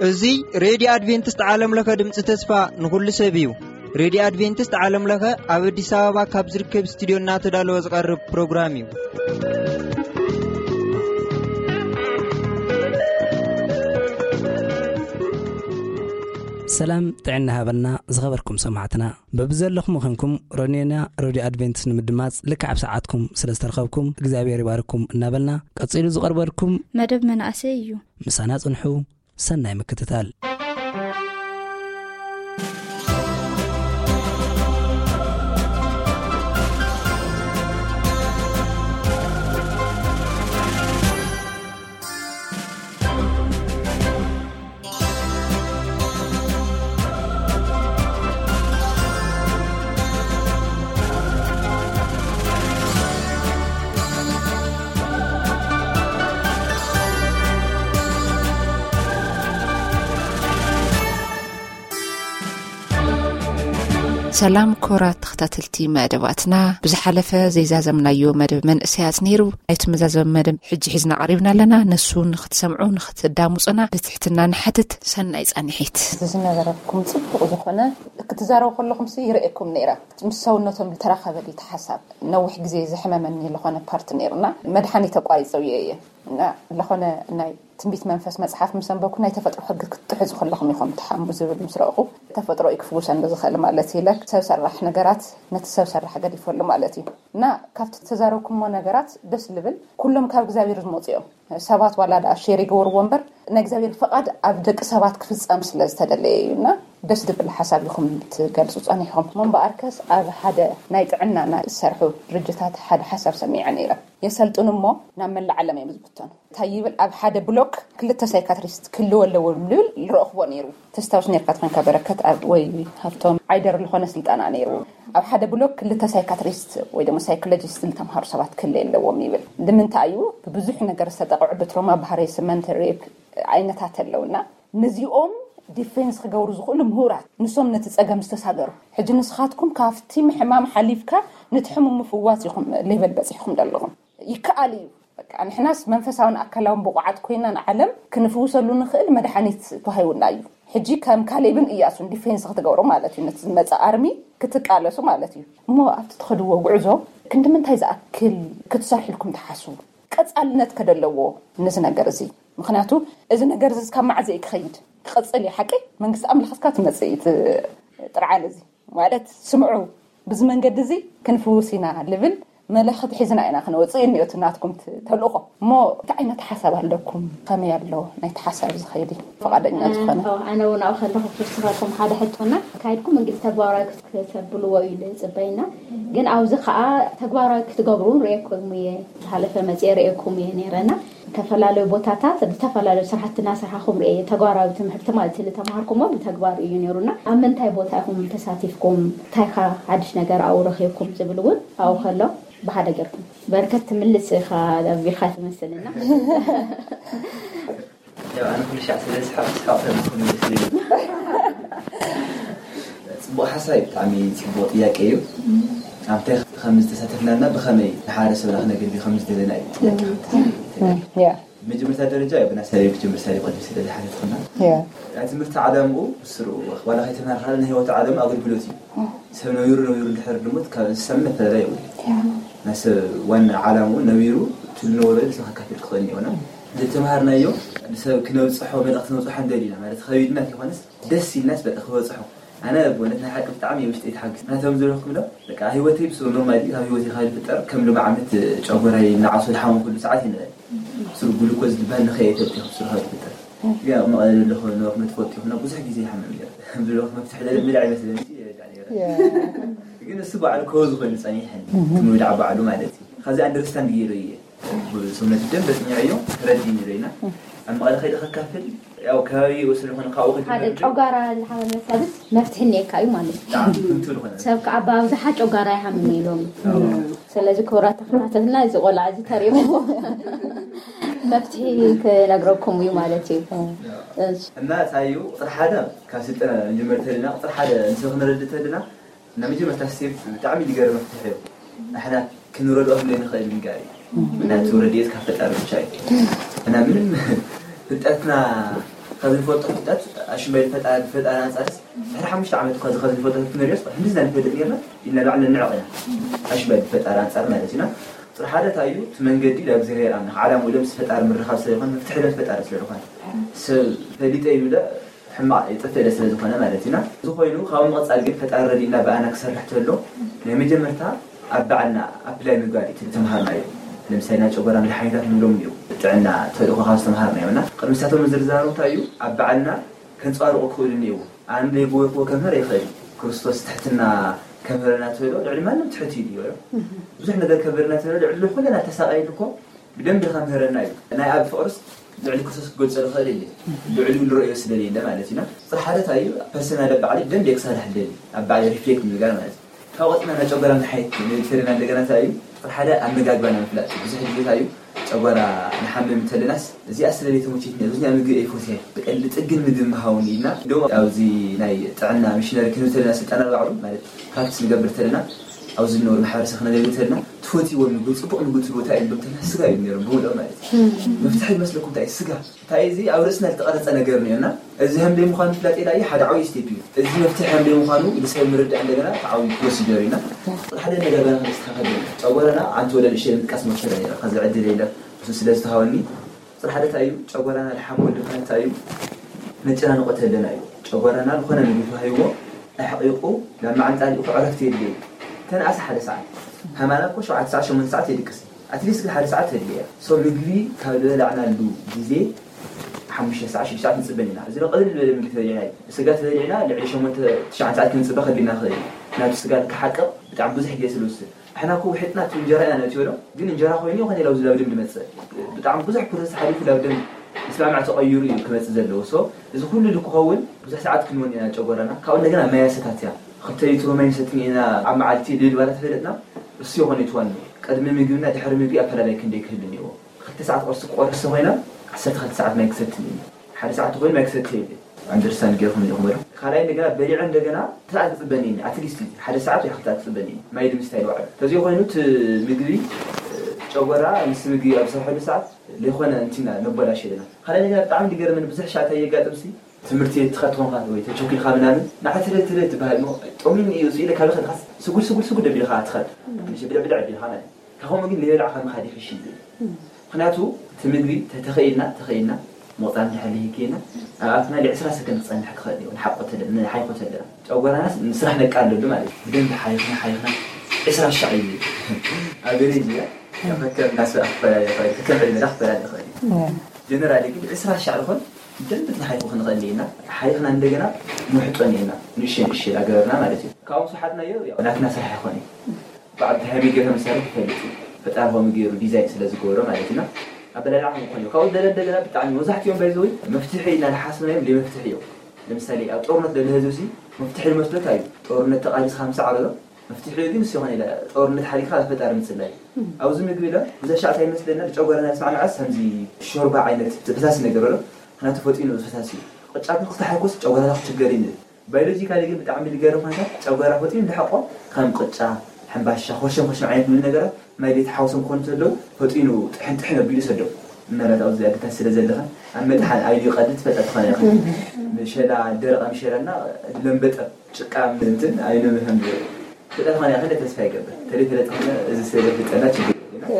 እዚ ሬድዮ ኣድቬንቲስት ዓለም ለኸ ድምፂ ተስፋ ንኹሉ ሰብ እዩ። ሬድዮ ኣድቬንቲስት ዓለም ለኸ ኣብ ኣዲስ ኣበባ ካብ ዝርከብ ስቱዲዮ እናተዳለወ ዝቐርብ ፕሮግራም እዩ። ሰላም ጥዕና ሃበልና ዝኸበርኩም ሰማዕትና። በብዘለኹም ኾንኩም ሮኔና ሬድዮ ኣድቬንቲስት ንምድማፅ ልክዕ ኣብ ሰዓትኩም ስለ ዝተረኸብኩም እግዚኣብሔር ይባርኩም እናበልና፣ ቀፂሉ ዝቐርበልኩም መደብ መናእሰይ እዩ። ምሳና ጽንሑ። ሰናይ ምክትታል። ሰላም ክቡራት ተኸታተልቲ መደባትና፣ ብዝሓለፈ ዘይዛዘምናዮ መደብ መንእሰያት ነይሩ። ናይቲ መዛዘሚ መደብ ሕጂ ሒዝና ቀሪብና ኣለና። ነሱ ንኽትሰምዑ፣ ንኽትዳምፁና ብትሕትና ንሓትት። ሰናይ ጻንሒት። እዚ ዝነበረኩም ጽቡቕ ዝኾነ ክትዛረቡ ከለኹምሲ ይርእየኩም ነይረ። ምስ ሰውነቶም ዝተራኸበ ድዩ እቲ ሓሳብ? ነዊሕ ግዜ ዘሕመመኒ ዝኾነ ፓርት ነይሩና፣ መድሓኒት ተቋሪጸ እየ እየ። እና ዝኾነ ናይ ትንቢት መንፈስ መጽሓፍ ምስ ኣንበብኩ ናይ ተፈጥሮ ሕጊ ክትጥሕዙ ከለኹም ኢኹም ትሓሙ ዝብል ምስ ረእኹ፣ ተፈጥሮ እዩ ክፍውሰኒ ዝኽእል ማለት እዩ። ኢለ ሰብ ሰራሕ ነገራት ነቲ ሰብ ሰራሕ ገዲፈሉ ማለት እዩ። እና ካብቲ ተዛረብኩሞ ነገራት ደስ ልብል፣ ኩሎም ካብ እግዚኣብሔር ዝመጹ እዮም። ሰባት ዋላ ደኣ ሼር ይገብርዎ እምበር ናይ እግዚኣብሔር ፍቓድ ኣብ ደቂ ሰባት ክፍጸም ስለ ዝተደለየ እዩ። እና ደስ ዝብል ሓሳብ ኢኹም ትገልጹ ጸኒሕኹም። እሞ እምበኣርከስ ኣብ ሓደ ናይ ጥዕና ናይ ዝሰርሑ ድርጅታት ሓደ ሓሳብ ሰሚዐ ነይረ። የሰልጥኑ እሞ ናብ መላእ ዓለም እዮም ዝብተኑ። እንታይ ይብል? ኣብ ሓደ ብሎክ ክልተ ሳይካትሪስት ክህልዎ ኣለዎም ዝብል ዝረእኽዎ ነይሩ። ተስታውስ ነርካ ትኾንካ በረከት ኣብ ወይ ሃብቶም ዓይደር ዝኾነ ስልጠና ነይሩ። ኣብ ሓደ ብሎክ ክልተ ሳይካትሪስት ወይ ድማ ሳይኮሎጂስት ዝተምሃሩ ሰባት ክህልዩ ኣለዎም ይብል። ንምንታይ እዩ? ብብዙሕ ነገር ዝተጠቕዑ ብትሮማ፣ ብሃሬስመንት፣ ሬፕ ዓይነታት ኣለውና፣ ነዚኦም ዲፌንስ ክገብሩ ዝኽእሉ ምሁራት፣ ንሶም ነቲ ጸገም ዝተሳገሩ። ሕጂ ንስኻትኩም ካብቲ ምሕማም ሓሊፍካ ነቲ ሕሙም ምፍዋስ ኢኹም ሌቨል በጺሕኩም ዘለኹም። ይከኣል እዩ። በቃ ንሕናስ መንፈሳውን ኣካላውን ብቑዓት ኮይና ንዓለም ክንፍውሰሉ ንኽእል መድሓኒት ተዋሂቡና እዩ። ሕጂ ከም ካሌብን እያሱን ዲፌንስ ክትገብሩ ማለት እዩ። ነቲ ዝመጽእ ኣርሚ ክትቃለሱ ማለት እዩ። እሞ ኣብቲ ትኸድዎ ጉዕዞ ክንዲ ምንታይ ዝኣክል ክትሰርሕልኩም ትሓስቡ? ቀጻልነት ከደለዎ ነዚ ነገር እዚ። ምኽንያቱ እዚ ነገር እዚ እስካብ መዓዝ እዩ ክኸይድ? ክቐጽል እዩ ሓቂ? መንግስቲ ኣምላኽ እስካ ትመጽእ እዩ እቲ ጥርዓን እዚ። ማለት ስምዑ፣ ብዚ መንገዲ እዚ ክንፍውስ ኢና ልብል መልእኽቲ ሒዝና ኢና ክንወፅእ እዩ እኒኦ እቲ ናትኩም ት-፣ ተልእኾ። እሞ እንታይ ዓይነት ሓሳብ ኣለኩም? ከመይ ኣሎ ናይቲ ሓሳብ ዝኸይድ እዩ? ፍቓደኛ ዝኾነ? ኣዎ፣ ኣነ እውን ኣብኡ ከለኹ ክስኻልኩም ሓደ ሕቶና ኣካይድኩም እንግዲህ ተግባራዊ ክት-፣ ክተብልዎ እዩ ዝፅበይና። ግን ኣብዚ ከዓ ተግባራዊ ክትገብሩ እውን ርእየኩም እየ፣ ዝሓለፈ መፅየ ርእየኩም እየ ነይረና። ዝተፈላለዩ ቦታታት ዝተፈላለዩ ስራሕቲ እናሰርሓኹም ርእየ፣ ተግባራዊ ትምህርቲ ማለት እዩ፣ ዝተምሃርኩሞ ብተግባር እዩ ነይሩና። ኣብ ምንታይ ቦታ ኢኹም ተሳቲፍኩም? እንታይ ኸ ሓድሽ ነገር ኣብኡ ረኺብኩም ዝብል እውን ኣብኡ ከሎ ብሓደ ጌርኩም። በርከት ትምልስ ኢኻ፣ ኣቢልካ ትመስልና። ያው ኣነ ኩሉ ሻዕ ስለ ዝስሓቕ፣ ስሓቕ ተመስሎ ይመስለኒ። ጽቡቕ ሓሳብ እዩ፣ ብጣዕሚ ጽቡቕ ጥያቄ እዩ። ኣብታይ ከም ዝተሳተፍናና ብኸመይ ንሓረሰብና ክነገልግል ከም ዝደለና እዩ ጥያቄ። ያ። መጀመርታ ደረጃ ያው ብናሳለዩ ክጅምር ሳሊ ቅድም ስለ ዝሓተትኩና። ያ። ናይ ትምህርቲ ዓላምኡ ብስሩ ዋላ ከይተማርካ ናይ ህይወት ዓላማ ኣገልግሎት እዩ። ሰብ ነቢሩ ነቢሩ እንድሕር ድሞት ካብ እንስሳ ምን ኣፈላላይ የብሉ። ያ። ናይ ሰብ ዋና ዓላምኡ ነቢሩ ትልነወረ ንሰብ ከካፍል ክኽእል እኒኦና። ዝተምሃርናዮ ንሰብ ክነብፅሖ መልእኽቲ ነብፅሖ እንደሊና ማለት ከቢድና ይኾነስ ደስ ኢልናስ በቃ ክበፅሖ። ኣነ ብእውነት ናይ ሓቂ ብጣዕሚ ውሽጠይ ተሓጊስ። ናቶም ዝረኽብ ዶ በቃ ህይወተይ ብስሩ ኖርማሊ ካብ ህይወተይ ካብ ዝፍጠር ከም ሎም ዓመት ጨጎራይ እናዓሶ ዝሓሙ ኩሉ ሰዓት ይንእል። ብስሩ ግሉኮዝ ዝበሃል ንኸየ ይፈልጥ ይኹን ብስሩ ካብ ዝፍጠር። ግን ኣብ መቐለ ዘለኹ ኖርመ ትፈልጥ ይኹን ብዙሕ ግዜ ይሓምም ነይሩ። ብሎ መፍትሒ ለለ ምልዕ ይመስለኒ ይረዳእ ነይረ። ግን እሱ በዓል ኮዝ ኮይኑ ጸኒሐኒ። ትምውዳዕ በዓሉ ማለት እዩ። ከዚ ኣንደርስታንድ ገይሩ እየ። ሰውነት ደም በጽኒዐዮ ተረዲኒ ዶ ኢና ኣብ መቐለ ከይደ ከካፍል ያው ከባቢ ወስድ ዝኾነ ካብኡ ከይደ ሓደ ተረዲኒ። ጨጓራ ዝሓመመ ሰብስ መፍትሒ እኒኤካ እዩ ማለት እዩ። ብጣዕሚ ፍንቱ ዝኾነ ሰብ ከዓ ብኣብዝሓ ጨጓራ ይሓምም ኢሎም። ስለዚ ክቡራት ተኸታተልና እዚ ቆልዓ እዚ ተሪሙ መፍትሒ ክነግረኩም እዩ ማለት እዩ። እሺ። እና እንታይ እዩ ቁፅሪ ሓደ ካብ ስልጠና ንጅመር ተልና ቁፅሪ ሓደ ንሰብ ክነረድእ ተልና እና መጀመርታ ስቴፕ ብጣዕሚ ዝገርም መፍትሒ እዩ። ንሕና ክንረድኦ ክንደይ ንኽእል ንጋር እዩ። ምክንያቱ ረድኤት ካብ ፈጣሪ ብቻ እዩ። እና ምንም ፍልጠትና ካብ ዝንፈልጦ ፍልጠት ኣሽመል ፈጣሪ ፈጣሪ ኣንጻርስ ድሕሪ ሓሙሽተ ዓመት እኳ ካብ ዝንፈልጦ ክንሪኦስ ክንዲ ዝና ንፈልጥ ነርና ኢልና ላዕሊ ንዕቕ ኢና። ኣሽመል ፈጣሪ ኣንጻር ማለት ኢና። ጥሪ ሓደ እንታይ እዩ? እቲ መንገዲ ለእግዚኣብሔር ኣምላኽ ዓላምኡ ለምስ ፈጣሪ ምርኻብ ስለ ዝኾነ መፍትሒ ለም ፈጣሪ ስለ ዝኾነ ሰብ ፈሊጠ ይብለ ሕማቕ የጥፍእ ስለ ዝኾነ ማለት ኢና። እዚ ኮይኑ ካብ ምቕጻል ግን ፈጣሪ ረዲእና ብኣና ክሰርሕ ተሎ ናይ መጀመርታ ኣብ ባዕልና ኣፕላይ ምግባር እዩ ተምሃርና እዩ። ለምሳሌ ናይ ጨጎራ መድሓኒታት ንብሎም እዩ ጥዕና ተልእኮ ካብ ዝተምሃርና እዩ እና ቅድሚ ሳቶም ዝርዛሩ እንታይ እዩ ኣብ ባዕልና ከንጸባርቑ ክኽእሉ እኒእዎ። ኣነ ዘይገበርክዎ ከምህር ይኽእል እዩ። ክርስቶስ ትሕትና ከምህረና ትብሎ ልዕሊ ማንም ትሕት እዩ ይበሎ። ብዙሕ ነገር ከምህረና ትብሎ ልዕሊ ኩለና ተሳቃይሉ እኮ ብደንብ ከምህረና እዩ። ናይ ኣብ ፍቕርስ ልዕሊ ክርስቶስ ክገልጾ ዝኽእል የለ። ልዕሊኡ ንረእዮ ስለ ዘየለ ማለት ኢና። ጽርሓደት እዩ ፐርሰናል ኣብ ባዕሊ ብደንብ ክሰርሕ ደሊ ኣብ ባዕሊ ሪፍሌክት ምግባር ማለት እዩ። ካብ ቆጽና ናይ ጨጎራ መድሓኒት ንልተልና እንደገና እንታይ እዩ? ጥራሕ ሓደ ኣመጋግባና ምፍላጥ እዩ። ብዙሕ ግዜ እንታይ እዩ? ጨጎራ ንሓምም እንተለናስ እዚኣ ስለ ዘይተመቸትኒ ብዙኛ ምግቢ ኣይፈትየ ብቀሊ ጥግን ምግቢ ምሃውኒ ኢልና እንደውም ኣብዚ ናይ ጥዕና ሚሽነሪ ክንብል ተለና ስልጠና ባዕሉ ማለት ፕራክቲስ ንገብር ተለና ኣብዚ ዝነበሩ ማሕበረሰብ ክነገልግል ተለና ትፈትዎ ምግቢ ጽቡቅ ምግቢ ትብሉ እንታይ እዮም ተለና ስጋ እዮም ነይሮም ብምልኦም ማለት እዩ። መፍትሒ ይመስለኩም እንታይ እዩ? ስጋ እንታይ እዚ ኣብ ርእስና ዝተቐረጸ ነገር ነርና እዚ ከም ደይ ምዃኑ ፍላጥ ኢላ እዩ ሓደ ዓብዪ ስቴፕ እዩ። እዚ መፍትሒ ከም ደይ ምዃኑ ንሰብ ምርዳእ እንደገና እቲ ዓብዪ ፕሮሲጀር ኢና። ሓደ ነገር ገና ክነስተኻኸል ጨጎራና ኣንቲ ወደ ንእሽተይ ምጥቃስ መሰለ ነረ ከዚ ዕድል የለ እሱ ስለ ዝተሃወኒ ጽሪ ሓደ እንታይ እዩ ጨጎራና ልሓም ወዲ ኾነ እንታይ እዩ መጨናንቆ ተለና እዩ። ጨጎራና ዝኾነ ምግቢ ተዋሂቦ ኣሕቂቁ ናብ መዓንጣ ልኢኹ ዕረፍቲ የድልዮ። ተንኣስ ሓደ ሰዓት ከማና እኮ ሸውዓተ ሰዓት ሸሞንተ ሰዓት የድቅስ። ኣትሊስት ግን ሓደ ሰዓት ተድልያ ሶ ምግቢ ካብ ዝበላዕናሉ ግዜ ሓሙሽተ ሰዓት ሽዱሽተ ሰዓት ንፅበን ኢና። እዚ ቀልል ዝበለ ምግቢ ተበሊዕና እዩ። ስጋ ተበሊዕና ልዕሊ ሸሞንተ ትሽዓተ ሰዓት ክንፅበ ከቢድና ክእል እዩ። ናቱ ስጋ ክሓቅቕ ብጣዕሚ ብዙሕ ግዜ ስለዝወስድ ኣሕና እኮ ውሒጥና እቲ እንጀራ ኢና ነእትዮ ዶ ግን እንጀራ ኮይኑ ይኾነ ኢላ ኣብዚ ላብ ደም ድመፅእ ብጣዕሚ ብዙሕ ፕሮሰስ ሓሊፉ ላብ ደም ምስማማዕ ተቐይሩ እዩ ክመፅእ ዘለዎ። ሶ እዚ ኩሉ ልክኸውን ብዙሕ ሰዓት ክንወን ኢና ጨጎራና ካብኡ እንደገና ማይ ኣሰታትያ ክልተ ሊትሮ ማይ ንሰትን ኢና ኣብ መዓልቲ ልብል ባላ ተፈለጥና እሱ ይኾነ ይትዋን ቅድሚ ምግብና ድሕሪ ምግቢ ኣፈላላይ ክንደይ ክህሉ እኒዎ። ክልተ ሰዓት ቁርሲ ክቆርስ ተኾይና ዓሰርተ ክልተ ሰዓት ማይ ክሰቲ እኒኒ ሓደ ሰዓት ተኾይኑ ማይ ክሰቲ የለ። ኣንደርስታንድ ገይርኩም ኢኹም በሉ። ካልኣይ እንደገና በሊዐ እንደገና ሰዓት ክፅበኒ እኒ ኣትሊስት ሓደ ሰዓት ወይ ክልተ ክፅበኒ እኒ ማይ ንምስታይ ልውዕል ተዚኦ ኮይኑ እቲ ምግቢ ጨጎራ ምስ ምግቢ ኣብ ዝሰርሐሉ ሰዓት ዘይኮነ እንቲና ነቦላሽ የለና። ካልኣይ እንደገና ብጣዕሚ ዝገርመኒ ብዙሕ ሻዕታ የጋጥምሲ ትምህርቲ ትኸድ ትኾንካ ወይ ተቸኩልካ ምናምን ንዓ ትለ ትለ ትበሃል እሞ ጠሚኒ እዩ ስኢለ ካብ ከድካስ ስጉል ስጉል ስጉል ደቢልካ ትኸድ ብልዕ ብልዕ ቢልካ ማለት ካብኡ ግን ለየብላዕካ ምኻድ ይሕሽ ይብል። ምክንያቱ እቲ ምግቢ ተተኸኢልና ተኸኢልና ምቕፃል እንድሕር ልሂክየና ኣብ ኣፍና ል20 ሰከንድ ክፀንሕ ክኽእል እዩ ንሓቆ ተለ ንሓይኮ ተለና ጨጎራናስ ንስራሕ ነቃለሉ ማለት እዩ። ብደንብ ሓይኽና ሓይኽና ዕስራ ሻዕ እዩ ኣቨሬጅ እያ ፈከር እናስራ ክፈላለ ይኽእል ከም ዕድመና ክፈላለ ይኽእል እዩ። ጀነራሊ ግን ዕስራ ሻዕ ዝኾን ብደንብ ክንሓይኹ ክንኽእል ኢና ሓይኽና እንደገና ንውሕጦን ኢና ንእሸ ንእሸ ኣገበርና ማለት እዩ። ካብኦም ሰሓትናዮ ናትና ስራሕ ይኾን እዩ። ብዓብቲ ሃይሚ ገይሩ መሳርሒ ይፈልጥ እዩ። ፈጣሪ ከምኡ ገይሩ ዲዛይን ስለ ዝገበሮ ማለት ኢና ኣበላልዓ ከም ዝኾነ እዩ። ካብኡ ደለ እንደገና ብጣዕሚ መብዛሕትኦም ባይዘወይ መፍትሒ ኢና ንሓስብናዮም ዘይመፍትሒ እዮም። ለምሳሌ ኣብ ጦርነት ደለ ህዝብ ሲ መፍትሒ ዝመስለካ እዩ። ጦርነት ተቃሊስካ ምሳዕ በሎ መፍትሒ ግን እሱ ይኾነ ኢለ ጦርነት ሓሊፍካ ፈጣሪ ምፅላይ ኣብዚ ምግቢ ኢለ ብዘሻዕታ ይመስለና ብጨጓራና ዝስማዕማዓስ ከምዚ ሾርባ ዓይነት ፈሳሲ ነገር ኣሎ። ምክንያቱ ፈጢኑ ፈሳሲ እዩ። ቅጫ ግን ክልተ ሓይኮስ ጨጓራና ክችገር እዩ ንብል። ባዮሎጂካሊ ግን ብጣዕሚ ዝገርም ኩነታት ጨጓራ ፈጢኑ ዝሓቆ ከም ቅጫ፣ ሕምባሻ፣ ኮሸም ኮሸም ዓይነት ዝብሉ ነገራት ማይ ዘይተሓወሶም ክኾኑ ከለዉ ፈጢኑ ጥሕን ጥሕን ኣቢሉ ይሰዶም። ምናልባት ኣብዚ ኣደታት ስለ ዘለኻ ኣብ መጥሓን ኣይኑ ይቐድድ ትፈልጣ ትኾና ኢኻ። ምሸላ ደረቐ ምሸላና ለምበጠ ጭቃ እንትን ኣይኑ ምህም ትፈልጣ ትኾና ኢኻ ተስፋ ይገብር። ተለይ ፈለጥ ኾነ እዚ ስለ ዘፍልጠና ችግር የለን።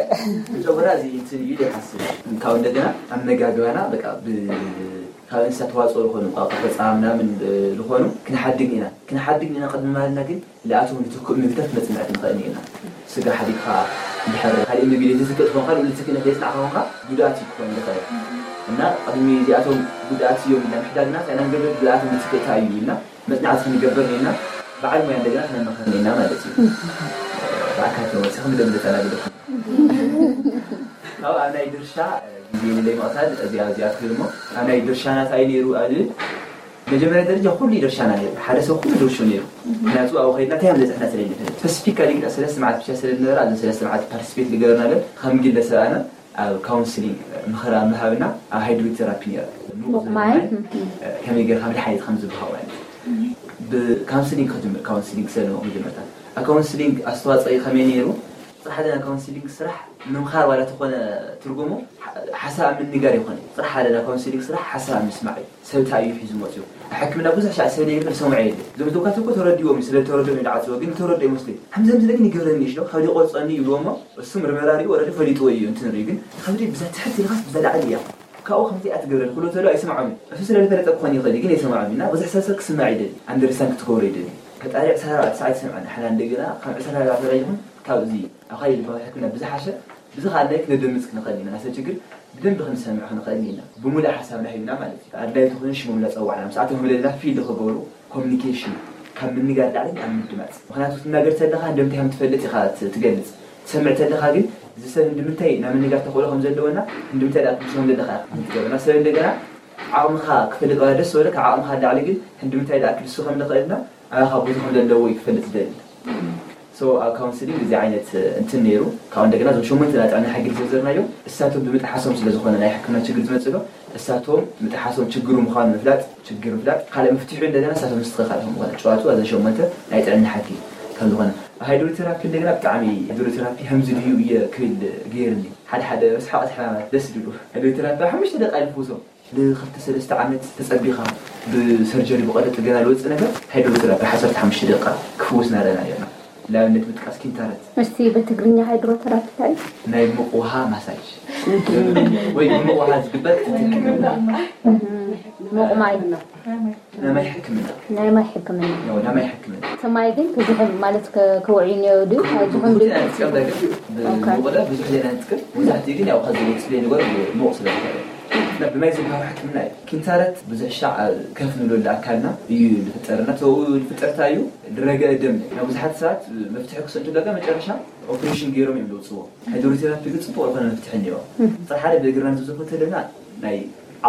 ጨጎራ እዚ እንትን እዩ ይሓስብ። ካብ እንደገና ኣመጋግባና በቃ ብ ካብ እንስሳ ተዋፅኦ ዝኾኑ እንቋቑሖ ፀባ ምናምን ዝኾኑ ክንሓድግ ኢና ክንሓድግ ኢና ቅድሚ ማለትና ግን ልኣቶም ንትክእ ምግብታት መፅናዕቲ ንኽእል ኢና። ስጋ ሓዲግካ እንድሕር ካሊእ ምግቢ ዘይትትክእ ትኾንካ ልኡ ዝትክእነት ዘይፅናዕካ ኾንካ ጉድኣት እዩ ክኾን ዝኽእል እና ቅድሚ እዚኣቶም ጉድኣት እዮም ኢልና ምሕዳግና እንታይ ኢና ንገብር ልኣቶም ዝትክእታ እዩ ኢልና መፅናዕቲ ክንገብር ኢና በዓል ሞያ እንደገና ክነማኸር ኢና ማለት እዩ። ብኣካል ተመፂኹም ደምልጠና ግደኩም። ካብ ኣብ ናይ ድርሻ ግዜ ንለይ ምቕታል እዚኣ እዚኣ ትብል እሞ ኣብ ናይ ድርሻና እንታይ ነይሩ ኣብ ዝብል መጀመርያ ደረጃ ኩሉ ድርሻና ነይሩ ሓደ ሰብ ኩሉ ድርሹ ነይሩ። ምክንያቱ ኣብ ከይድና እንታይ ከም ዘፅሕና ስለ ንፈልጥ ስፐሲፊካሊ ግን ሰለስተ መዓልቲ ብቻ ስለ ዝነበረ ኣብዘን ሰለስተ መዓልቲ ፓርቲስፔት ዝገበርናለን ከም ግለ ሰብ ኣነ ኣብ ካውንስሊንግ ምኽሪ ኣብ ምሃብና ኣብ ሃይድሮቴራፒ ነይረ። ንቑሕ ሙቕ ማይ? ዝበሃል ከመይ ገይርካ መድሓኒት ከም ዝበሃው ማለት እዩ። ብካውንስሊንግ ክጅምር፣ ካውንስሊንግ ክሰልሞ መጀመርታ። ኣብ ካውንስሊንግ ኣስተዋፅኦ ከመይ ነይሩ? ጥራሕ ሓደ ናይ ካውንስሊንግ ስራሕ ምምኻር ዋላ ተኾነ ትርጉሙ ሓ- ሓሳብ ምንጋር ይኾነ። ጥራሕ ሓደ ናይ ካውንስሊንግ ስራሕ ሓሳብ ምስማዕ እዩ። ሰብ እንታይ እዩ ሒዙ መፅኡ? ኣብ ሕክምና ብዙሕ ሻዕ ሰብ ዘይብል ሰምዖ የለ። እዞም ዶክተራት እኮ ተረዲዎም እዩ፣ ስለ ተረዲኦም እዩ ዝዓፅዎ፣ ግን ተረዲኦ ይመስለኝ። ከምዚ ከምዚ ግን ይገብረኒ እዩ፣ ካብ ይቆርፀኒ ይብልዎ እሞ እሱ ምርመራ ሪኡ ወረዲ ፈሊጥዎ እዩ እንትን ሪኡ፣ ግን ከብዲ ብዛ ትሕት ኢልካስ ብዛ ላዕሊ እያ። ካብኡ ከምዚ እያ ትገብረኒ ክብሎ ተሎ ኣይሰምዖም እዩ። እሱ ስለ ዝፈለጠ ክኾን ይኽእል እዩ፣ ግን ኣይሰምዖም እዩ። እና ብዙሕ ሰብ ሰብ ክስማዕ ይደሊ፣ ኣንደርስታንድ ክትገብሮ ይደሊ። ፈጣሪ ዕስራ ኣርባዕተ ሰዓት ይሰምዓና። ሓና እንደገና ካብ ዕስራ ኣርባዕተ ሰዓት ይኹን ካብ እዚ ኣብ ካልእ ዝበሃል ሕክምና ብዝሓሸ ብዚ ካልኣይ ክነደምፅ ክንኽእል ኢና። ናሰብ ችግር ብደንብ ክንሰምዕ ክንኽእል ኢና። ብምሉእ ሓሳብና ሂብና ማለት እዩ። ኣድላይ ተኾይኑ ሽሞም እናፀዋዕና ምስኣቶም ህብለልና ፊልድ ክገብሩ ኮሚኒኬሽን ካብ ምንጋር ላዕሊ ኣብ ምድማፅ። ምኽንያቱ ክትናገር ተለኻ እንደምታይ ከም ትፈልጥ ኢኻ ት- ትገልፅ። ትሰምዕ ተለኻ ግን እዚ ሰብ እንደምታይ ናብ ምንጋር ተኽእሎ ከም ዘለዎና እንደምታይ ደኣ ክምስሎም ዘለኻ ኢኻ ትገብር። ናብ ሰብ እንደገና ዓቕምኻ ክፈልጥ ዋላ ደስ ዝበለካ ዓቕምኻ ላዕሊ ግን እንደምታይ ደኣ ክልሱ ከም ንኽእልና ኣባኻ ቦታ ከም ዘለዎ እዩ ክፈልጥ ዝደሊ። So ኣብ ካውንስሊንግ እዚ ዓይነት እንትን ነይሩ። ካብ እንደገና እዞም ሸሞንተ ናይ ጥዕና ሕጊ ዝዘርዘርናዮም እሳቶም ብምጥሓሶም ስለ ዝኾነ ናይ ሕክምና ችግር ዝመፅእ ዶ እሳቶም ምጥሓሶም ችግሩ ምዃኑ ምፍላጥ ችግር ምፍላጥ ካልእ መፍትሑ እንደገና እሳቶም ምስትኽኻል ከም ዝኾነ ጨዋቱ እዘን ሸሞንተ ናይ ጥዕና ሕጊ ከም ዝኾነ ሃይድሮቴራፒ እንደገና ብጣዕሚ ሃይድሮቴራፒ ከምዚ ድዩ እየ ክብል ገይርኒ ሓደ ሓደ መስሓቐት ሕማማት ደስ ድሉ ሃይድሮቴራፒ ኣብ ሓሙሽተ ደቂቃ ይፍውሶም ንክልተ ሰለስተ ዓመት ተፀቢኻ ብሰርጀሪ ብቐዶ ጥገና ዝወፅእ ነገር ሃይድሮቴራፒ ሓሰርተ ሓሙሽተ ደቂቃ ክፍውስ ናረና ርና ንኣብነት ምጥቃስ ኪንታረት እስቲ ብትግርኛ ሃይድሮተራፒ እንታይ እዩ? ናይ ሙቕ ውሃ ማሳጅ ወይ ብሙቕ ውሃ ዝግበር ሙቕ ማይ ናይ ማይ ሕክምና ናይ ማይ ሕክምና ናይ ማይ ሕክምና እቲ ማይ ግን ክዝሕም ማለት ከ- ክውዕይ እኒኦ ድዩ ኣይዝሕም ድዩ ሙቕለ ብዙሕ ዜና ንጥቀም መብዛሕትኡ ግን ያው ከዚ ኤክስፕሌን ንገር ሙቕ ስለ ዝኮነ እና ብማይ ዝበሃው ሕክምና እዩ ኪንታረት ብዙሕ ሻዕ ከፍ ንብለሉ ኣካልና እዩ ዝፍጠር እና ተብኡ ዝፍጠርታ እዩ ዝረገ ደም ናብ ብዙሓት ሰባት መፍትሒ ክሰንቱ ለጋ መጨረሻ ኦፕሬሽን ገይሮም እዮም ዘውፅዎ ሃይድሮቴራፒ ግን ፅቡቅ ዝኾነ መፍትሒ እኒኦ ጥራሕ ሓደ ብእግርና ንዝዘፎ ተለና ናይ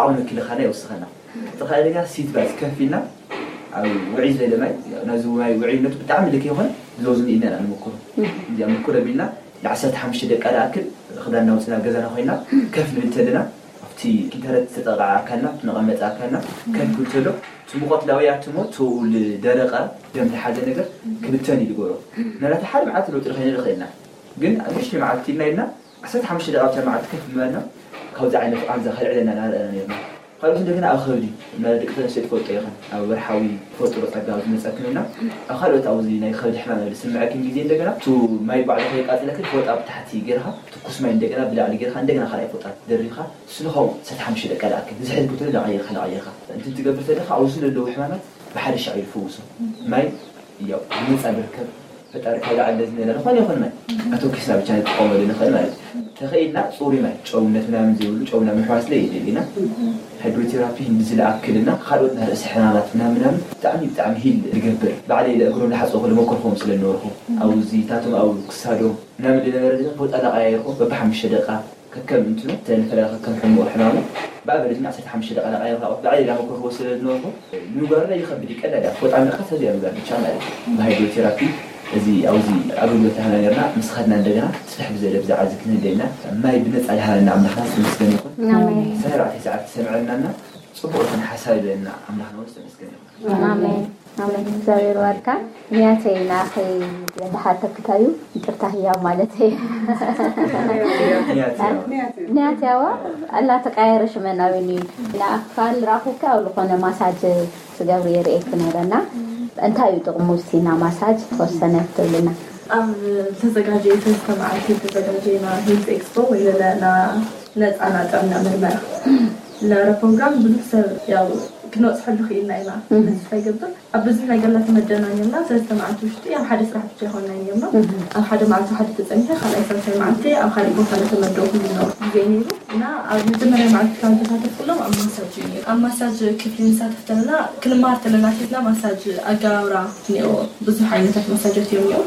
ዓቕሚ ምክልኻልና ይወስኸና ጥኻለኛ ሲት ባዝ ከፍ ኢልና ኣብ ውዒ ዝበለ ማይ ነዚ ማይ ውዒነቱ ብጣዕሚ ልክ ይኾን ብዘውዝን ኢልና ኢና ንምክሮ እዚኣ ምክሮ ቢልና ንዓሰርተ ሓሙሽተ ደቂቃ ዝኣክል ክዳንና ውፅና ኣብ ገዛና ኮይና ከፍ ንብል ተለና ኣብቲ ኢንተርነት ዝተጠቕዓ ኣካልና እቲ መቐመጢ ኣካልና ከፍ ክብል ተሎ እቲ ሙቐት ላውያትሞ ትኡ ልደረቐ ደም ዝሓዘ ነገር ክብተን እዩ ዝገብሮ ምናልባት ሓደ መዓልቲ ለውጢ ንኸይንርኢ ኽእልና ግን ኣብ ንእሽተይ መዓልቲ ኢልና ኢልና ዓሰርተ ሓሙሽተ ደቂቃ ብታ መዓልቲ ከፍ ምባልና ካብዚ ዓይነት ቃንዛ ከልዕለና እናረኣና ነርና ካልኦት እንደገና ኣብ ከብዲ እና ደቂ ተነስዮ ትፈልጦ ኢኽን ኣብ ወርሓዊ ትፈልጥሮ ጸጋ ዝመጸክን እና ኣብ ካልኦት ኣብዚ ናይ ከብዲ ሕማም ዝስምዐክን ግዜ እንደገና ቱ ማይ ባዕሉ ከይቃጽለክን ፎጣ ብታሕቲ ጌርካ ትኩስ ማይ እንደገና ብላዕሊ ጌርካ እንደገና ካልኣይ ፎጣ ደሪብካ ስልኻው ሰተ ሓሙሽተ ደቂ ለኣክል ዝሕል ክትብል ዳቐይርካ ዳቐይርካ እንትን ትገብር ተለካ ኣብዚ ዘለዉ ሕማማት ብሓደ ሻዕ ይፍውሶ ማይ ያው ብነጻ ዝርከብ ፈጣሪ ካብ ላዕሊ ዝመለ ዝኾነ ይኹን ማይ ኣተኪስና ብቻ ንጥቀመሉ ንኽእል ማለት እዩ። ተኸኢልና ፅሩይ ማይ ጨውነት ምናምን ዘይብሉ ጨው ምናምን ምሕዋስ ለየድልና ሃይድሮቴራፒ ክንዲ ዝለኣክልና ካልኦት ናይ ርእሲ ሕማማት ምናምን ምናምን ብጣዕሚ ብጣዕሚ ሂል ዝገብር ባዕለይ ለእግሮም ዝሓፀኹ ልመኮርኮም ስለ ዝነበርኩ ኣብዚታቶም ኣብ ክሳዶም ምናምን ዝነበረ ድማ ፎጣ ላቀያየርኩ በብሓሙሽተ ደቂቃ ከከም እንትኑ ተንፈላ ከከም ሕሙቕ ሕማሙ ብኣበረጅና ዓሰርተ ሓሙሽተ ደቂቃ ላቀያየርኩ ባዕለይ ላመኮርኮ ስለ ዝነበርኩ ንምጓርና ይኸብድ እዩ ቀላል እያ ፎጣ ምልቃት ተዚኣ ምግባር ብቻ ማለት እዩ ብሃይድሮቴራፒ እዚ ኣብዚ ኣገልግሎት ሃና ነርና ምስ ኸድና እንደገና ስፍሕ ብዘለ ብዛዕባ እዚ ክንህደና ማይ ብነፃ ዝሃበና ኣምላኽና ዝተመስገነ ይኹን ሰነ ኣርባዕተ ሰዓት ዝሰምዐልናና ፅቡቅ ዝኾነ ሓሳብ ይበለና ኣምላኽና እውን ዝተመስገነ ይኹን ኣሜን ኣሜን እግዚኣብሔር ባርካ ንያተይ ንኣኸይ ዝሓተክታዩ ይቅርታ ህያብ ማለት እዩ ንያትያዋ ኣላ ተቃየረ ሽመናዊን እዩ ንኣኻል ራኹካ ኣብ ዝኾነ ማሳጅ ትገብሪ የርእየኪ ነይረና እንታይ እዩ ጥቕሙ እስቲ ና ማሳጅ ተወሰነ ትብልና ኣብ ዝተዘጋጀየ ሰለስተ መዓልቲ ዝተዘጋጀየ ና ሄልት ኤክስፖ ወይ ለለ ና ነፃ ና ጥዕና ምርመራ ለረ ፕሮግራም ብዙሕ ሰብ ያው ክንበፅሐሉ ክኢልና ኢና ተስፋ ይገብር ኣብ ብዙሕ ነገር ላ ተመደብና ነርና ሰለስተ መዓልቲ ውሽጢ ኣብ ሓደ ስራሕ ብቻ ይኮንና ነርና ኣብ ሓደ መዓልቲ ሓደ ተፀኒሐ ካልኣይ ሳልሳይ መዓልቲ ኣብ ካልእ ቦታ ላ ተመደብኩሉ ዝነበርኩ ግዜ ነይሩ እና ኣብ መጀመርያ መዓልቲ ካብ ዝተሳተፍኩሎም ኣብ ማሳጅ እዩ ነይሩ ኣብ ማሳጅ ክፍሊ ንሳተፍ ተለና ክንመሃር ተለና ኣትሒዝና ማሳጅ ኣገባብራ እኒኦ ብዙሕ ዓይነታት ማሳጃት እዮም እኒኦ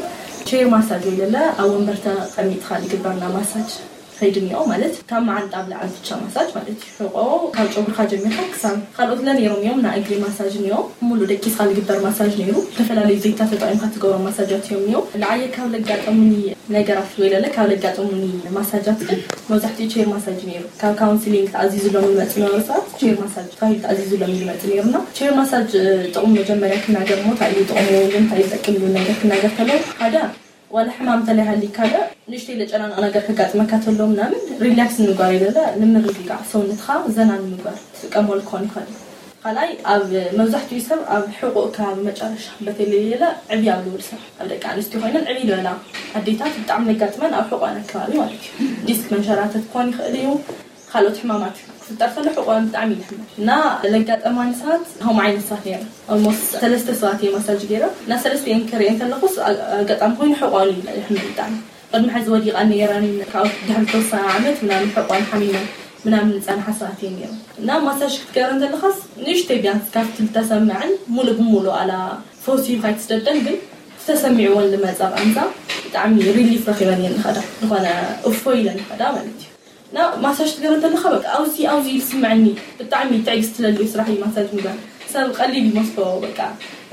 ቼር ማሳጅ ወይ ለለ ኣብ ወንበር ተቐሚጥካ ዝግበርና ማሳጅ ከይዲ እኒኦ ማለት ካብ መዓንጣ ብላዕሊ ብቻ ማሳጅ ማለት እዩ። ሕቆ ካብ ጨጉርካ ጀሚርካ ክሳብ ካልኦት ለ ነይሮም እዮም። ናይ እግሪ ማሳጅ እኒኦ፣ ሙሉ ደቂስካ ዝግበር ማሳጅ ነይሩ። ዝተፈላለዩ ዘይታ ተጠቂምካ ትገብሮ ማሳጃት እዮም እኒኦ። ንዓየ ካብ ለጋጠሙኒ ነገራት ወይ ለለ ካብ ለጋጠሙኒ ማሳጃት ግን መብዛሕትኡ ቼር ማሳጅ ነይሩ። ካብ ካውንስሊንግ ተኣዚዙሎም ዝመፁ ነበሩ ሰባት ቼር ማሳጅ ተባሂሉ ተኣዚዙሎም እዩ ዝመፁ ነይሩና። ቼር ማሳጅ ጥቕሙ መጀመርያ ክናገር ሞ እንታይ እዩ ጥቕሙ፣ እንታይ እዩ ዝጠቅም ዝብል ነገር ክናገር ከለዉ ሓደ ዋላ ሕማም እንተለይ ሃሊካ ዶ ንእሽተይ ለጨናንቕ ነገር ከጋጥመካ ተሎ ምናምን ሪላክስ ንምግባር ይለለ ንምርግጋዕ ሰውነትካ ዘና ንምግባር ትጥቀመሉ ክኾን ይኽእል እዩ። ካልኣይ ኣብ መብዛሕትኡ ሰብ ኣብ ሕቁእ ከባቢ መጨረሻ በተለይ ለ ዕብይ ኣብ ዝብል ሰብ ኣብ ደቂ ኣንስትዮ ኮይነን ዕብይ ዝበላ ኣዴታት ብጣዕሚ ለጋጥመን ኣብ ሕቆን ኣከባቢ ማለት እዩ። ዲስክ መንሸራተት ክኾን ይኽእል እዩ። ካልኦት ሕማማት ክፍጠር ከሎ ሕቆን ብጣዕሚ እዩ ዝሕመም እና ለጋጠማኒ ሰባት ከምኡ ዓይነት ሰባት ነይረ። ኦልሞስት ሰለስተ ሰባት እየ ማሳጅ ገይረ እና ሰለስተ እየን ክሪኤ እንተለኹስ ኣጋጣሚ ኮይኑ ሕቆን እዩ ይሕመም ብጣዕሚ። ቅድሚ ሕዚ ወዲቐን ነይረን። ካብ ድሕሪ ተወሰነ ዓመት ምናምን ሕቆን ሓሚመን ምናምን ዝፀንሓ ሰባት እየን ነይረን እና ማሳጅ ክትገረን ዘለኻስ ንእሽተይ ቢያንስ ካብቲ ዝተሰምዐን ሙሉእ ብሙሉእ ኣላ ፈውሲ እዩ ካይትስደደን ግን ዝተሰሚዕዎን ዝመፀ ቃንዛ ብጣዕሚ ሪሊፍ ረኪበን እየን ንኸዳ ዝኾነ እፎ ኢለን ንኸዳ ማለት እዩ። እና ማሳጅ ትገብር እንተለካ በቃ ኣብዚ ኣብዚ ኢሉ ስምዐኒ። ብጣዕሚ ትዕግስቲ ለልዩ ስራሕ እዩ ማሳጅ ምግባር። ሰብ ቀሊል ይመስሎ በቃ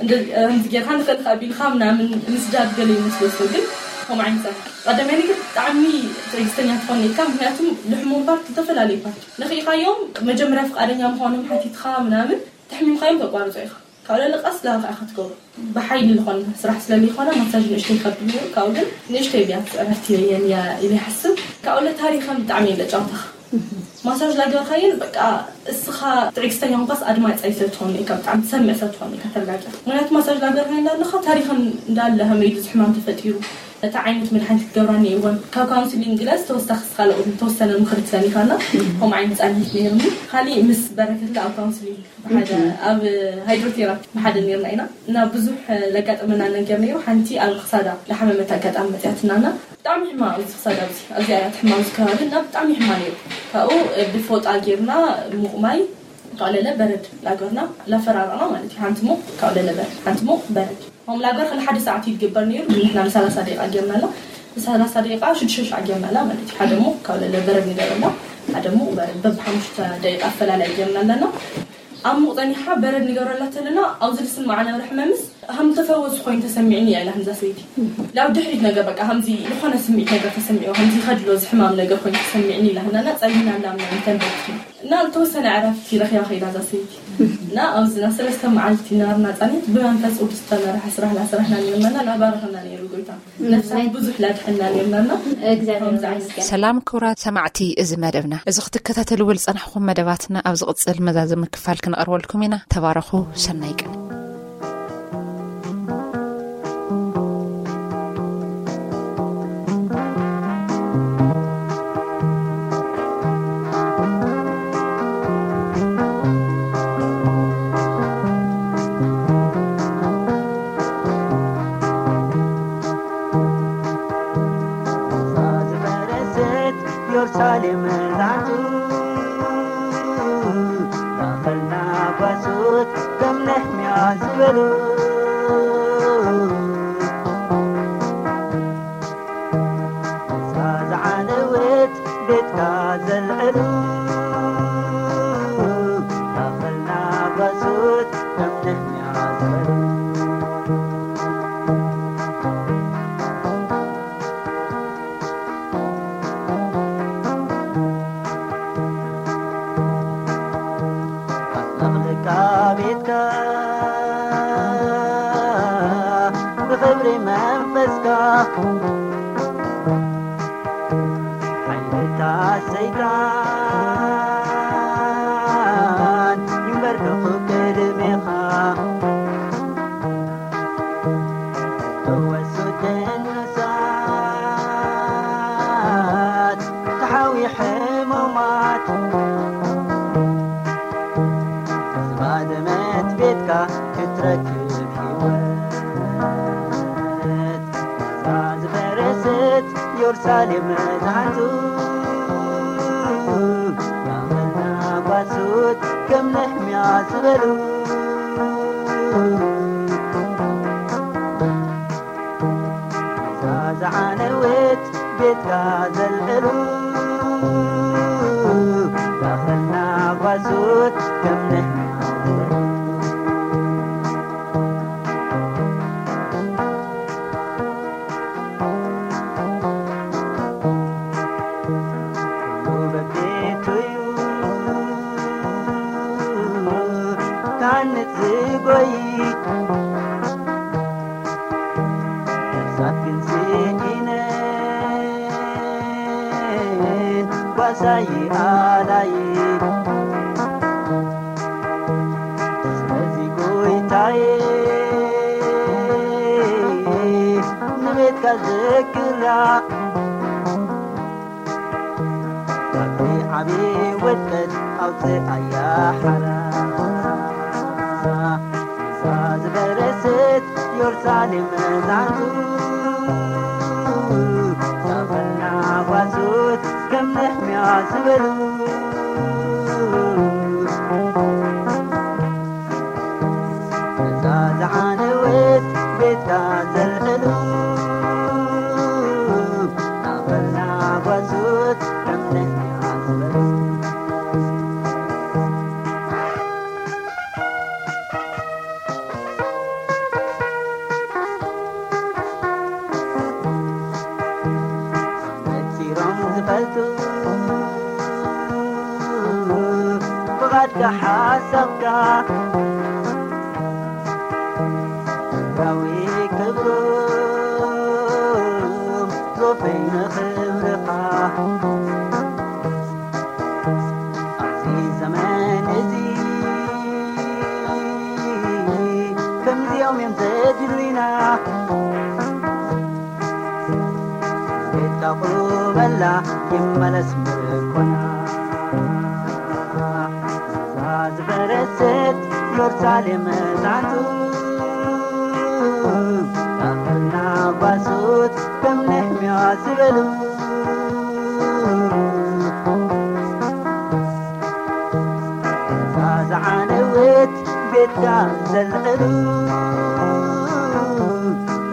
እንደ ከምዚ ጌርካ ንኽእል ካብ ኢልካ ምናምን ምስዳድ ገለ ይመስሎ ሰብ ግን ከምኡ ዓይነት ሰብ ቀዳማይ ነገር ብጣዕሚ ትዕግስተኛ ትኾን ኢልካ። ምክንያቱም ልሕሙም ፓርት ዝተፈላለዩ ፓርት ነኽኢኻዮም መጀመርያ ፍቃደኛ ምዃኖም ሓቲትካ ምናምን ተሕሚምካዮም ተቋርጾ ኢኻ። ካብ ለለ ቀስ ላልካ ኢኻ ትገብሮ። ብሓይሊ ዝኾነ ስራሕ ስለለይኮነ ማሳጅ ንእሽተይ ይከብድ ነይሩ። ካብኡ ግን ንእሽተይ ቢያንስ ዕረፍቲ የን እያ ኢለ ይሓስብ። ካብኡ ለ ታሪኸን ብጣዕሚ እየን ለጫውታኻ። ማሳጅ ላገበርካየን በቃ እስኻ ትዕግስተኛ ምኳስ ኣድማፂ ኣይሰብ ትኾን ኢካ ብጣዕሚ ትሰምዕ ሰብ ትኾን ኢካ ተረጋጊ። ምክንያቱ ማሳጅ ላገበርካየን ላለኻ ታሪኸን እንዳለ ከመይ ኢሉ ዝሕማም ተፈጢሩ እታ ዓይነት መድሓኒት ክትገብራ እኒኤወን ካብ ካውንስሊንግ ግለስ ተወሳኺ ካልኦት ተወሰነ ምኽሪ ትሰኒኻና። ከምኡ ዓይነት ፃኒት ነይሩኒ። ካሊእ ምስ በረከትለ ኣብ ካውንስሊንግ ብሓደ ኣብ ሃይድሮቴራፒ ብሓደ ነርና ኢና እና ብዙሕ ለጋጠመና ነገር ነይሩ። ሓንቲ ኣብ ክሳዳ ለሓመመት ኣጋጣሚ መፅያትናና ብጣዕሚ ሕማ ኣብዚ ክሳዳ ኣብዚ ኣብዚኣ እያ ትሕማ ኣብዚ ከባቢ እና ብጣዕሚ ሕማ ነይሩ። ካብኡ ብፎጣ ጌርና ሙቕ ማይ ካብኡ ለለ በረድ ላገርና ላፈራረቕና ማለት እዩ። ሓንቲ ሙቕ ካብኡ ለለ በረድ ሓንቲ ሙቕ በረድ ሆም ላገር ከለ ሓደ ሰዓት እዩ ዝግበር ነይሩ። ንሕና ንሰላሳ ደቂቃ ጌርናላ ንሰላሳ ደቂቃ ሽዱሽተ ሻዕ ጌርናላ ማለት እዩ። ሓደ ሙቕ ካብኡ ለለ በረድ ንገረላ ሓደ ሙቕ በረድ በብሓሙሽተ ደቂቃ ኣፈላላይ ጌርና ኣለና። ኣብ ሙቕ ጸኒሓ በረድ ንገብረላ ተለና ኣብዚ ዝስምዓ ነበረ ሕመምስ ከም ተፈወሱ ኮይኑ ተሰሚዕኒ እያ ኢላ ከምዛ ሰበይቲ። ላብ ድሕሪት ነገር በቃ ከምዚ ዝኾነ ስምዒት ነገር ተሰሚዑ ከምዚ ከድሎ ዝሕማም ነገር ኮይኑ ተሰሚዕኒ ኢላ ህናና ጸሊና ኣላ ምናምን ተንበርኪ እና ዝተወሰነ ዕረፍቲ ረኺባ ከይዳ እዛ ሰበይቲ። እና ኣብዚ ናብ ሰለስተ መዓልቲ ናርና ጸኒት ብመንፈስ ቅዱስ ዝተመርሐ ስራሕ ላሰራሕና ነርናና ላባረኸና ነይሩ ጎይታ። ነፍሳት ብዙሕ ላድሐና ነርናና። እግዚኣብሔር ከምዚ ዓይነት ይመስገን። ሰላም ክቡራት ሰማዕቲ እዚ መደብና። እዚ ክትከታተልዎ ዝጸናሕኩም መደባትና ኣብ ዝቕጽል መዛዘሚ ክፋል ክንቐርበልኩም ኢና። ተባረኹ። ሰናይ ቀን። ኢየሩሳሌም ዛቱ ማእኸልና ጓሶት ከም ነህምያ ዝበሉ እዛ ዝዓነወት ቤትካ ዘልዕሉ ማእኸልና ጓሶት ከም ነህምያ ዝበሉ ኣጥለቕልቃ ቤትካ ብኽብሪ መንፈስካ ሓይልታት ሰይጣን ይንበርከኹ ቅድሜኻ። ተወሱ ደንሳት ተሓዊ ሕሙማት ዝባደመት ቤትካ ክትረክብ ህይወት እዛ ዝፈረሰት ኢየሩሳሌም ዝሓንቱ ያመና ጓሶት ከም ነህምያ ዝበሉ እዛ ዝዓነወት ቤትካ ዘልዕሉ ናጓሱት ከም ነህምያ ዝበሉ ኩሉ በቤቱ እዩ ታንጽ ዝጎይ ነፍሳት ግን ስኢነን ጓሳይ ኣላይ። ስለዚ ጎይታዬ ንቤትካ ዘክራ ካብቲ ዓቢ ውድቀት ኣውጽኣያ ሓራ። እዛ ዝበረሰት ዮርሳሌም መዛንቱ ዛፈና ጓሶት ከም ነህምያ ዝበሉ እዛ ዝዓነወት ቤትካ ዘልዕሉ ናበልና ጓሶት ከም ነህምያ ዝበሉ ነጺሮም ዝፈልጡ ብቓድካ ሓሳብካ ዳዊ ክብሮም ዞፈይ ንኽብርኻ ኣብዚ ዘመን እዚ ከምዚኦም እዮም ዘድልዩና። ቤትካ ቁመላ ይመለስ ምርኮና። እዛ ዝበረሰት ዮርሳሌም መዛንቱ ኣኽልና ጓሶት ከም ነህምያ ዝበሉ እዛ ዝዓነወት ቤትካ ዘልዕሉ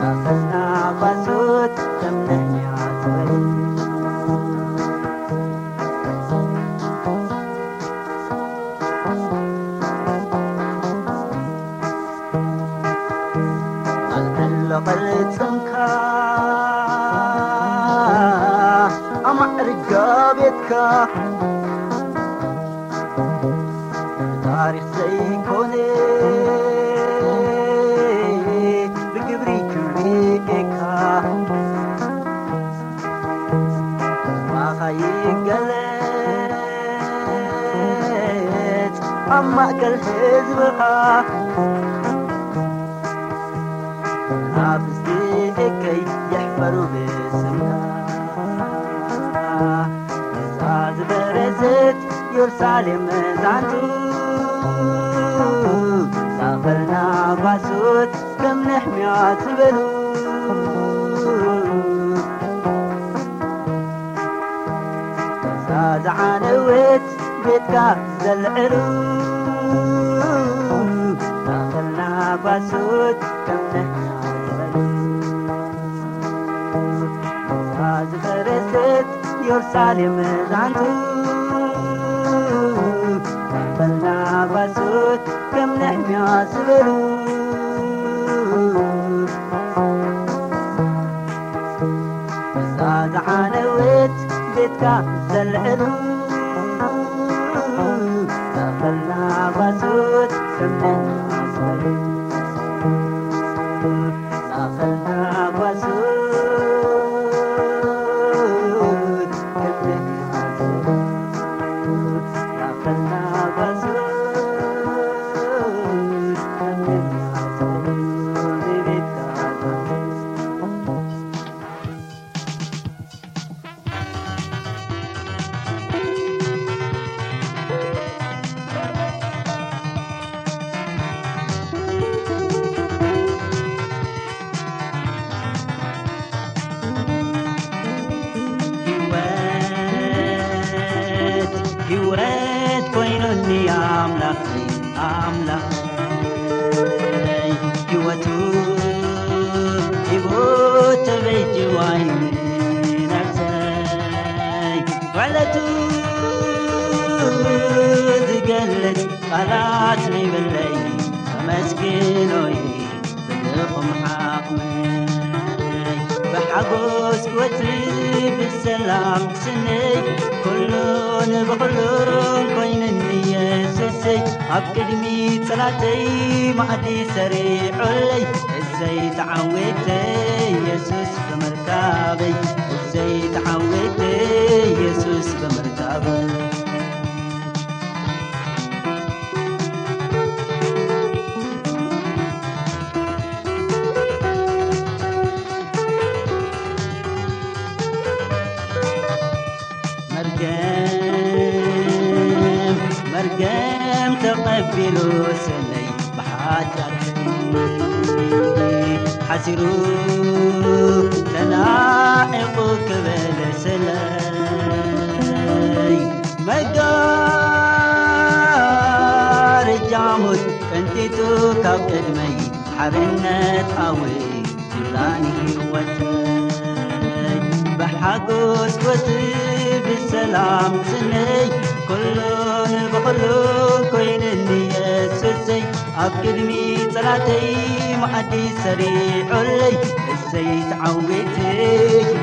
ኣኽልና ጓሶት ከም ነህምያ ዝበሉ ኣልዕሎ ቅርጽምካ ኣማዕርጋ ቤትካ ታሪኽ ዘይኮነ ብግብሪ ክብሪ ጌካ ማኻ ይገለጽ ኣብ ማእከል ህዝብኻ ናብዚ እከይ ይሕፈሩ ብስምካ እዛ ዝበረዘት ዮርሳሌም መዛንቱ ዛኸልና ጓሶት ከም ነሕምያ ዝበሉ እዛ ዝዓነወት ቤትካ ዘልዕሉ ዛኸልና ጓሶት ከም ነሕምያ ዝበሉ እዛ ዝበረዘት ዮርሳሌም መዛንቱ ዛኸልና ጓሶት ከም ነሕምያ ዝበሉ እዛ ዝዓነወት ቤትካ ዘልዕሉ ዛኸልና ጓሶት ከም ነሕምያ ዝበሉ ዛኸልና ጓሶት ከም ነሕምያ ዝበሉ ዛኸልና ጓሶት ህይወት ኮይኑኒ ኣምላኽ ኣምላኽ ህይወቱ ሂቡ ተበጅዋይ ነፍሰይ ውዕለቱ ክገልጽ ቃላት ነይብለይ፣ ከመስግኖ እየ ብድኹም ዓቕመይ። ብሓጎስ ክወጽእ ብሰላም ክስነይ፣ ኩሉን ብኹሉን ኮይኑኒ የሱሰይ። ኣብ ቅድሚ ጸላተይ መኣዲ ሰሪዑለይ፣ እሰይ ተዓዊተ የሱስ ብምርካበይ፣ እሰይ ተዓዊተ የሱስ ብምርካበይ። መርገም መርገም ተቐቢሉ ሰለይ ብሓጢኣተይ ሓሲሩ ተናዒቑ ክብል ሰለይ መጋረጃ ሞት ቀንጢጡ ካብ ቅድመይ ሓርነት ኣወይ ኪዳን ህይወተይ ብሓጎስ ክወጽእ ብሰላም ክስነይ ኩሉን ብኹሉን ኮይኑኒ የሱሰይ ኣብ ቅድሚ ጸላተይ መኣዲ ሰሪዑለይ እሰይ ተዓዊተ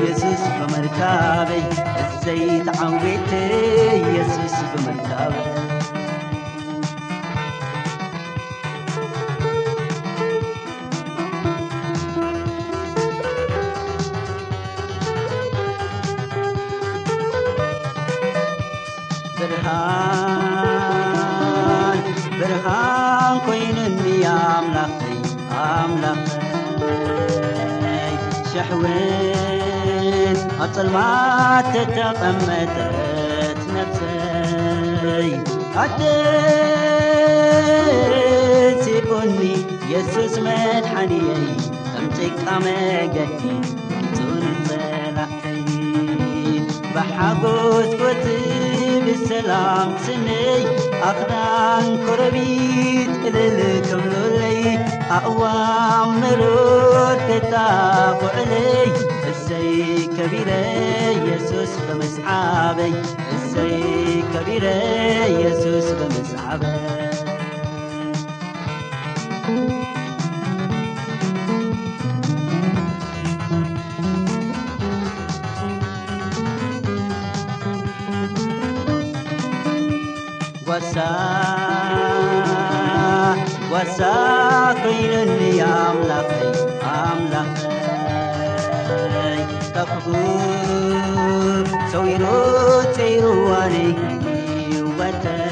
የሱስ ብምርካበይ እሰይ ተዓዊተ የሱስ ብምርካበይ ብርሃን ብርሃን ኮይኑኒ ኣምላኸይ ኣምላኸይ ሸሕውን ኣብ ጸልማት ተተቐመጠት ነፍሰይ ኣደሲቁኒ የሱስ መድሓኒየይ ከም ጭቃ መገዲ ኪጹኒ ጸላእተይ ብሓጎስ ክወጽእ ብሰላም ክስነይ ኣኽራን ኮረቢት እልል ክብሉለይ ኣእዋም መሮር ክጣቕዑለይ እሰይ ከቢረ የሱስ ብምስዓበይ እሰይ ከቢረ የሱስ ብምስዓበይ ጓሳ ጓሳ ኮይኑኒ ኣምላኸይ ኣምላኸይ ካብ ክፉእ ሰዊሩ ጸይርዋኒ ህይወተይ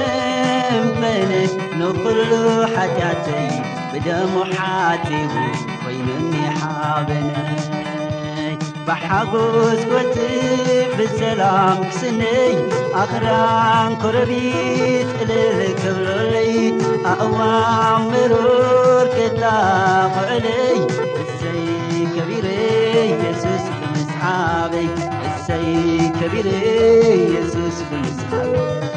ከይፈንፈነ ንኹሉ ሓጢኣተይ ብደሙ ሓጺቡ ኮይኑኒ ሓበነይ ብሓጎስ ክወጽእ ብሰላም ክስነይ ኣኽራን ኮረቢት እልል ክብሉለይ ኣእዋም ምሩር ክጣቕዑለይ እሰይ ከቢረ የሱስ ብምስዓበይ እሰይ ከቢረ የሱስ ብምስዓበይ